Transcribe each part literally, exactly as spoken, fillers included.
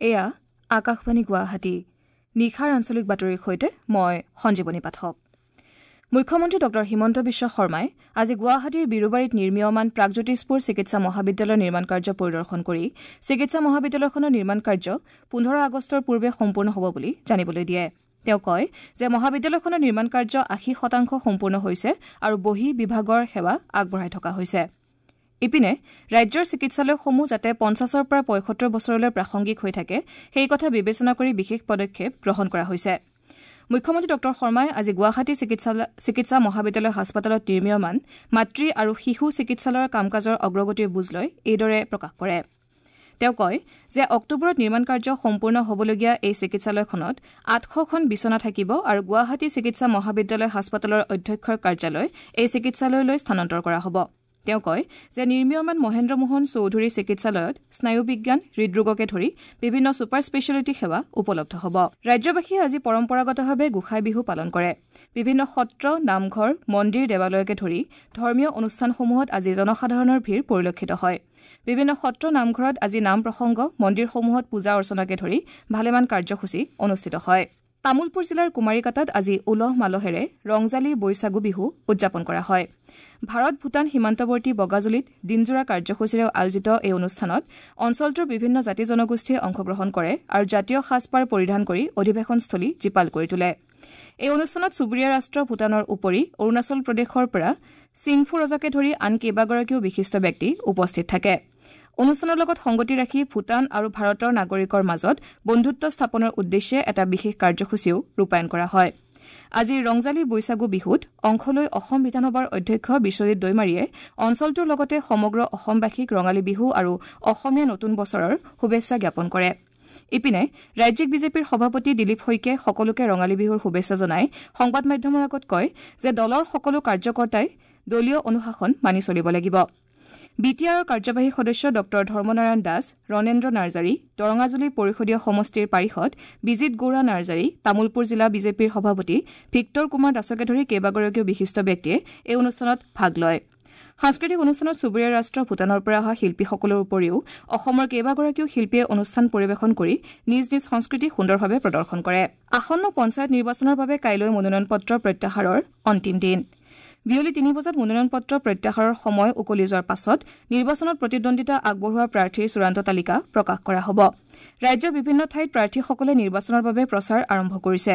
এয়া আকাশবাণী গুৱাহাটী। নিশাৰ আঞ্চলিক বাতৰিৰ সৈতে মই সঞ্জীৱনী পাঠক। মুখ্যমন্ত্ৰী ডঃ হিমন্ত বিশ্ব শৰ্মাই আজি গুৱাহাটীৰ বিৰুবাৰীত নিৰ্মীয়মান প্ৰাগজ্যোতিষপুৰ চিকিৎসা মহাবিদ্যালয়ৰ নিৰ্মাণ কাৰ্য পৰিদৰ্শন কৰি চিকিৎসা মহাবিদ্যালয়খনৰ নিৰ্মাণ কাৰ্য পোন্ধৰ আগষ্টৰ পূৰ্বে সম্পূৰ্ণ হ'ব বুলি জানিবলৈ দিয়ে। তেওঁ কয় যে মহাবিদ্যালয়খনৰ নিৰ্মাণ কাৰ্য আশী শতাংশ সম্পূৰ্ণ হৈছে আৰু বহিঃ বিভাগৰ সেৱা আগবঢ়াই থকা হৈছে। ইপিনে ৰাজ্যৰ চিকিৎসালয়সমূহ যাতে পঞ্চাছৰ পৰা পঁয়সত্তৰ বছৰলৈ প্ৰাসংগিক হৈ থাকে সেই কথা বিবেচনা কৰি বিশেষ পদক্ষেপ গ্ৰহণ কৰা হৈছে। মুখ্যমন্ত্ৰী ডঃ শৰ্মাই আজি গুৱাহাটী চিকিৎসা মহাবিদ্যালয় হাস্পতালত নিৰ্মীয়মান মাতৃ আৰু শিশু চিকিৎসালয়ৰ কাম-কাজৰ অগ্ৰগতিৰ বুজ লৈ এইদৰে প্ৰকাশ কৰে। তেওঁ কয় যে অক্টোবৰত নিৰ্মাণ কাৰ্য সম্পূৰ্ণ হ'বলগীয়া এই চিকিৎসালয়খনত আঠশখন বিছনা থাকিব আৰু গুৱাহাটী চিকিৎসা মহাবিদ্যালয় হাস্পতালৰ অধ্যক্ষৰ কাৰ্যালয় এই চিকিৎসালয়লৈ স্থানান্তৰ কৰা হ'ব। তেওঁ কয় যে নিৰ্মীয়মান মহেন্দ্ৰ মোহন চৌধুৰী চিকিৎসালয়ত স্নায়ুবিজ্ঞান, হৃদৰোগকে ধৰি বিভিন্ন ছুপাৰ স্পেচিয়েলিটি সেৱা উপলব্ধ হ'ব। ৰাজ্যবাসীয়ে আজি পৰম্পৰাগতভাৱে গোঁসাই বিহু পালন কৰে। বিভিন্ন সত্ৰ, নামঘৰ, মন্দিৰ, দেৱালয়কে ধৰি ধৰ্মীয় অনুষ্ঠানসমূহত আজি জনসাধাৰণৰ ভিৰ পৰিলক্ষিত হয়। বিভিন্ন সত্ৰ, নামঘৰত আজি নাম প্ৰসংগ, মন্দিৰসমূহত পূজা অৰ্চনাকে ধৰি ভালেমান কাৰ্যসূচী অনুষ্ঠিত হয়। তামুলপুৰ জিলাৰ কুমাৰীকাটাত আজি উলহ মালহেৰে ৰংজালী বৈশাগু বিহু উদযাপন কৰা হয়। ভাৰত ভূটান সীমান্তৱৰ্তী বগাজুলিত দিনজোৰা কাৰ্যসূচীৰে আয়োজিত এই অনুষ্ঠানত অঞ্চলটোৰ বিভিন্ন জাতি জনগোষ্ঠীয়ে অংশগ্ৰহণ কৰে আৰু জাতীয় সাজপাৰ পৰিধান কৰি অধিৱেশনস্থলী জীপাল কৰি তোলে। এই অনুষ্ঠানত চুবুৰীয়া ৰাষ্ট্ৰ ভূটানৰ উপৰি অৰুণাচল প্ৰদেশৰ পৰা চিংফু ৰজাকে ধৰি আন কেইবাগৰাকীও বিশিষ্ট ব্যক্তি উপস্থিত থাকে। অনুষ্ঠানৰ লগত সংগতি ৰাখি ভূটান আৰু ভাৰতৰ নাগৰিকৰ মাজত বন্ধুত্ব স্থাপনৰ উদ্দেশ্যে এটা বিশেষ কাৰ্যসূচীও ৰূপায়ণ কৰা হয়। আজিৰ ৰংজালী বৈশাগু বিহুত অংশ লৈ অসম বিধানসভাৰ অধ্যক্ষ বিশ্বজিৎ দৈমাৰীয়ে অঞ্চলটোৰ লগতে সমগ্ৰ অসমবাসীক ৰঙালী বিহু আৰু অসমীয়া নতুন বছৰৰ শুভেচ্ছা জ্ঞাপন কৰে। ইপিনে ৰাজ্যিক বিজেপিৰ সভাপতি দিলীপ শইকীয়াই সকলোকে ৰঙালী বিহুৰ শুভেচ্ছা জনাই সংবাদ মাধ্যমৰ আগত কয় যে দলৰ সকলো কাৰ্যকৰ্তাই দলীয় অনুশাসন মানি চলিব লাগিব। বি টি আৰৰ কাৰ্যবাহী সদস্য ডঃ ধৰ্মনাৰায়ণ দাস, ৰণেন্দ্ৰ নাৰ্জাৰী, দৰঙাজুলি পৰিষদীয় সমষ্টিৰ পাৰিষদ বিজিত গৌৰা নাৰ্জাৰী, তামুলপুৰ জিলা বিজেপিৰ সভাপতি ভিক্টৰ কুমাৰ দাসকে ধৰি কেইবাগৰাকীও বিশিষ্ট ব্যক্তিয়ে এই অনুষ্ঠানত ভাগ লয়। সাংস্কৃতিক অনুষ্ঠানত চুবুৰীয়া ৰাষ্ট্ৰ ভূটানৰ পৰা অহা শিল্পীসকলৰ উপৰিও অসমৰ কেইবাগৰাকীও শিল্পীয়ে অনুষ্ঠান পৰিৱেশন কৰি নিজ নিজ সংস্কৃতি সুন্দৰভাৱে প্ৰদৰ্শন কৰে। আসন্ন পঞ্চায়ত নিৰ্বাচনৰ বাবে কাইলৈ মনোনয়ন পত্ৰ প্ৰত্যাহাৰৰ অন্তিম দিন। বিয়লি তিনি বজাত মনোনয়ন পত্ৰ প্ৰত্যাহাৰৰ সময় উকলি যোৱাৰ পাছত নিৰ্বাচনত প্ৰতিদ্বন্দ্বিতা আগবঢ়োৱা প্ৰাৰ্থীৰ চূড়ান্ত তালিকা প্ৰকাশ কৰা হ'ব। ৰাজ্যৰ বিভিন্ন ঠাইত প্ৰাৰ্থীসকলে নিৰ্বাচনৰ বাবে প্ৰচাৰ আৰম্ভ কৰিছে।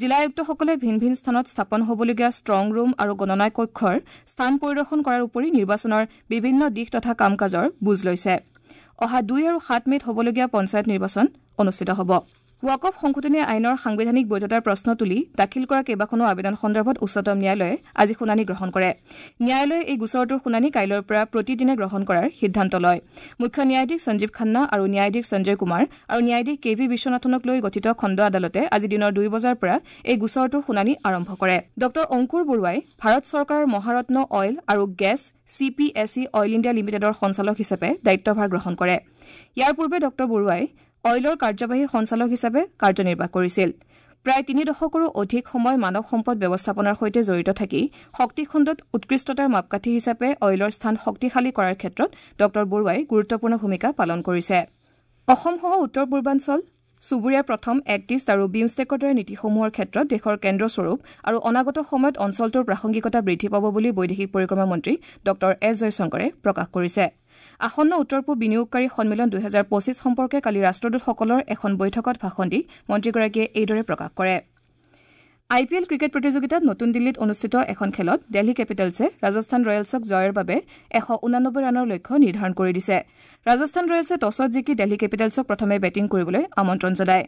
জিলা আয়ুক্তসকলে ভিন ভিন স্থানত স্থাপন হ'বলগীয়া ষ্ট্ৰং ৰুম আৰু গণনা কক্ষৰ স্থান পৰিদৰ্শন কৰাৰ উপৰি নিৰ্বাচনৰ বিভিন্ন দিশ তথা কাম কাজৰ বুজ লৈছে। অহা দুই আৰু সাত মে'ত হ'বলগীয়া পঞ্চায়ত নিৰ্বাচন অনুষ্ঠিত হ'ব। ৱাকফ সংশোধনী আইনৰ সাংবিধানিক বৈধতাৰ প্ৰশ্ন তুলি দাখিল কৰা কেইবাখনো আবেদন সন্দৰ্ভত উচ্চতম ন্যায়ালয়ে আজি শুনানি গ্ৰহণ কৰে। ন্যায়ালয়ে এই গোচৰটোৰ শুনানি কাইলৈৰ পৰা প্ৰতিদিনে গ্ৰহণ কৰাৰ সিদ্ধান্ত লয়। মুখ্য ন্যায়াধীশ সঞ্জীৱ খান্না আৰু ন্যায়াধীশ সঞ্জয় কুমাৰ আৰু ন্যায়াধীশ কে ভি বিশ্বনাথনক লৈ গঠিত খণ্ড আদালতে আজি দিনৰ দুই বজাৰ পৰা এই গোচৰটোৰ শুনানি আৰম্ভ কৰে। ডঃ অংকুৰ বৰুৱাই ভাৰত চৰকাৰৰ মহাৰত্ন অইল আৰু gas C P S E oil India লিমিটেডৰ সঞ্চালক হিচাপে দায়িত্বভাৰ গ্ৰহণ কৰে। ইয়াৰ পূৰ্বে ডঃ বৰুৱাই অইলৰ কাৰ্যবাহী সঞ্চালক হিচাপে কাৰ্যনিৰ্বাহ কৰিছিল। প্ৰায় তিনি দশকৰো অধিক সময় মানৱ সম্পদ ব্যৱস্থাপনাৰ সৈতে জড়িত থাকি শক্তি খণ্ডত উৎকৃষ্টতাৰ মাপকাঠি হিচাপে অইলৰ স্থান শক্তিশালী কৰাৰ ক্ষেত্ৰত ডঃ বৰুৱাই গুৰুত্বপূৰ্ণ ভূমিকা পালন কৰিছে। অসমসহ উত্তৰ পূৰ্বাঞ্চল চুবুৰীয়া প্ৰথম, এক্ট ইষ্ট আৰু বিমষ্টেকৰ দৰে নীতিসমূহৰ ক্ষেত্ৰত দেশৰ কেন্দ্ৰস্বৰূপ আৰু অনাগত সময়ত অঞ্চলটোৰ প্ৰাসংগিকতা বৃদ্ধি পাব বুলি বৈদেশিক পৰিক্ৰমা মন্ত্ৰী ডঃ এছ জয়শংকৰে প্ৰকাশ কৰিছে। আসন্ন উত্তৰ পূব বিনিয়োগকাৰী সন্মিলন দুহেজাৰ পঁচিছ সম্পৰ্কে কালি ৰাষ্ট্ৰদূতসকলৰ এখন বৈঠকত ভাষণ দি মন্ত্ৰীগৰাকীয়ে এইদৰে প্ৰকাশ কৰে। আই পি এল ক্ৰিকেট প্ৰতিযোগিতাত নতুন দিল্লীত অনুষ্ঠিত এখন খেলত দিল্লী কেপিটেলছে ৰাজস্থান ৰয়েলছক জয়ৰ বাবে এশ ঊনানব্বৈ ৰানৰ লক্ষ্য নিৰ্ধাৰণ কৰি দিছে। ৰাজস্থান ৰয়েলছে টছত জিকি দিল্লী কেপিটেলছক প্ৰথমে বেটিং কৰিবলৈ আমন্ত্ৰণ জনায়।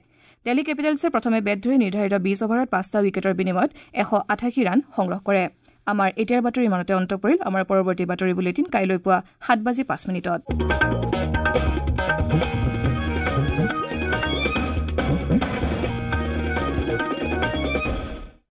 দিল্লী কেপিটেলছে প্ৰথমে বেট ধৰি নিৰ্ধাৰিত বিশ অভাৰত পাঁচটা উইকেটৰ বিনিময়ত এশ আঠাশী ৰান সংগ্ৰহ কৰে। আমাৰ এতিয়াৰ বাতৰি ইমানতে অন্ত পৰিল। আমাৰ পৰৱৰ্তী বাতৰি বুলেটিন কাইলৈ পুৱা সাত বাজি পাঁচ মিনিটত।